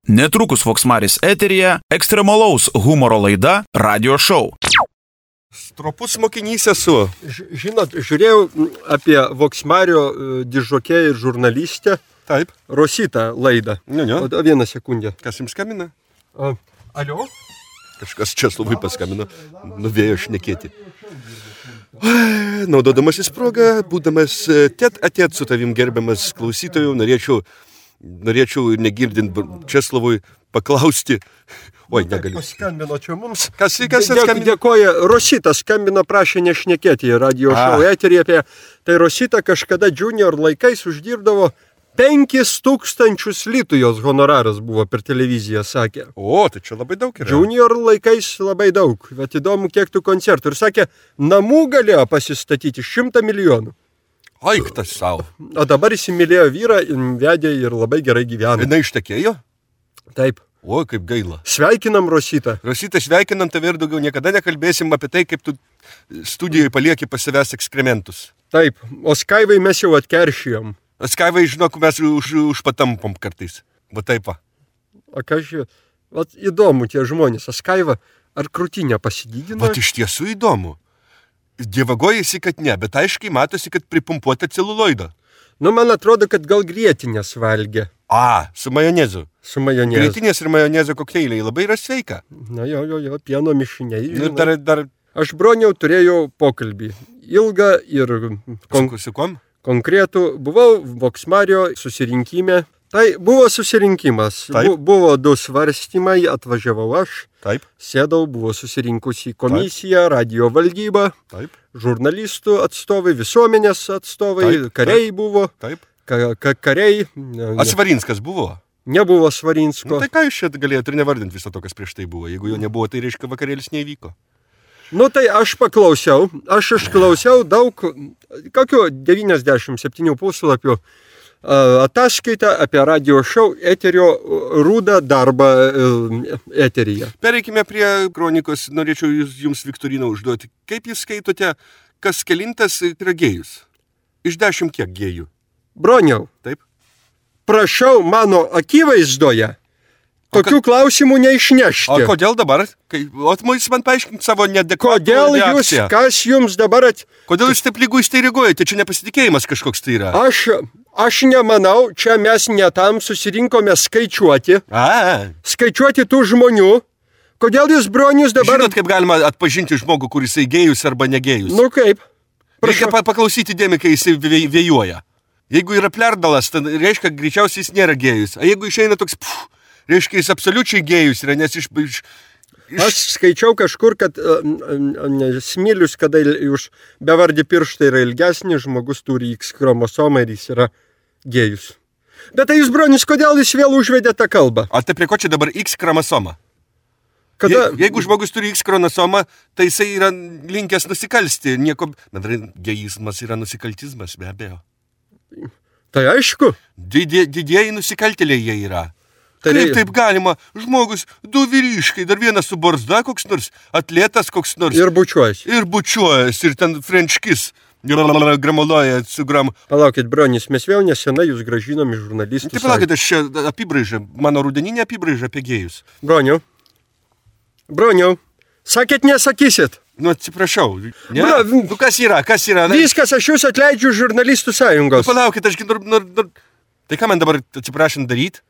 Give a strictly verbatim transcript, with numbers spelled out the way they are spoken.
Netrukus Voksmaris eteryje ekstremalaus humoro laida Radio Show. Stropus mokinys esu. Žinot, žiūrėjau apie Voksmario dižokėją ir žurnalistę. Taip. Rositą laidą. Ne, ne. O vieną sekundę. Kas jums skambina? A, alio? Kažkas Česlovui paskambino. Nuvėjo šnekėti. Naudodamasis progą, būdamas tet atėt su tavim gerbiamas klausytojų, norėčiau, norėčiau ir negirdint Česlovui paklausti. Oi, negaliu. Paskambino čia mums. Kas, kas Dėk, skambino? Dėkoja. Rosita skambino, prašė nešnekėti į radio šou eterį apie. Tai Rosita kažkada junior laikais uždirbdavo penkis tūkstančius litų, jos honoraras buvo per televiziją, sakė. O, tai čia labai daug yra. Junior laikais labai daug, bet įdomu, kiek tų koncertų. Ir sakė, namų galėjo pasistatyti šimtą milijonų. Aiktas savo. O dabar įsimylėjo vyrą, vedė ir labai gerai gyvena. Jis ištekėjo? Taip. O, kaip gaila. Sveikinam, Rosita. Rosita, sveikinam tave ir daugiau niekada nekalbėsim apie tai, kaip tu studijoje palieki pas savęs ekskrementus. Taip, o Skaivai mes jau atkeršijom. Skaivai, žinok, mes už, užpatampom kartais. Va taip va. O ką žiūrėjau, vat įdomu tie žmonės. O Skaiva, ar krūtinę pasidydino? Vat iš tiesų įdomu. Dievagojasi, kad ne, bet aiškiai matosi, kad pripumpuota celuloido. Nu, man atrodo, kad gal grietinės valgė. A, su majonezu. Su majonezu. Grietinės ir majonezo kokteiliai labai yra sveika. Na jo, jo, jo, pieno mišiniai. Ir dar, dar... Aš broniau turėjau pokalbį. Ilgą ir kon... su, su kom? konkretų. Buvau Voksmario susirinkime. Tai buvo susirinkimas. Bu, buvo du svarstymai, atvažiavau aš. Taip. Sėdau, buvo susirinkusi komisija, Taip. radio valdyba, Taip. žurnalistų atstovai, visuomenės atstovai, Taip. kariai Taip. buvo. Taip. Ka, ka, kariai. Ne, A Svarinskas buvo? Nebuvo Svarinsko. Nu, tai ką jūs čia galėjote ir nevardinti viso to, kas prieš tai buvo? Jeigu jo nebuvo, tai reiškia vakarėlis neįvyko. Nu tai aš paklausiau, aš išklausiau daug, kokiu devyniasdešimt septynių puslapių ataskaitą apie radio šou eterio rūdą darbą eteryje. Pereikime prie kronikos, norėčiau jums Viktoriną užduoti. Kaip jūs skaitote, kas kelintas yra gėjus? Iš dešimt kiek gėjų? Broniau. Taip. Prašau mano akivaizdoje tokių ka... klausimų neišnešti. O kodėl dabar? Kai, o jūs man paaiškinti savo nedekvatų Kodėl jūs, reakciją. kas jums dabar at... Kodėl jūs taip lyguistai reaguojate? Čia nepasitikėjimas kažkoks tai yra. Aš, aš nemanau, čia mes netam susirinkome skaičiuoti. A. Skaičiuoti tų žmonių. Kodėl jūs, bronius, dabar... Žinot, kaip galima atpažinti žmogų, kuris gėjus arba negėjus? Nu kaip? Reikia pa paklausyti dėmį, kai jis vėjuoja. Jeigu yra plerdalas, tai reiškia, greičiausiai jis nėra gėjus. O jeigu išeina toks, pff, reiškia, jis absoliučiai gėjus yra, nes iš... iš, iš... Aš skaičiau kažkur, kad uh, uh, smilius, kada už bevardį pirštą yra ilgesnis, žmogus turi X chromosomą ir jis yra gėjus. Bet tai jūs, bronis, kodėl jūs vėl užvedė tą kalbą? O tai prie ko čia dabar X chromosoma? Kada... Je, jeigu žmogus turi X chromosomą, tai jisai yra linkęs nusikalsti. Nieko... Bendrai, gėjizmas yra nusikaltizmas, be abejo. Tai aišku. Didė, didieji nusikaltėliai jie yra. Tai Kaip taip galima? Žmogus, du vyriškai, dar vienas su barzda koks nors, atletas koks nors. Ir bučiuojas. Ir bučiuojas, ir ten French kiss. Gramoloja su gram. Palaukit, bronis, mes vėl nesenai jūs gražinom iš žurnalistų. Taip, palaukit, aš čia apibraižą, mano rudeninė apibraižą apie gėjus. Broniau. Broniau. Sakėt, nesakysit. Nu, atsiprašau. Ne? Bra, nu, kas yra, kas yra? Ne? Viskas, aš jūs atleidžiu žurnalistų sąjungos. Nu, palaukit, aš nor, nor, nor... Tai ką man dabar, atsiprašant, daryti?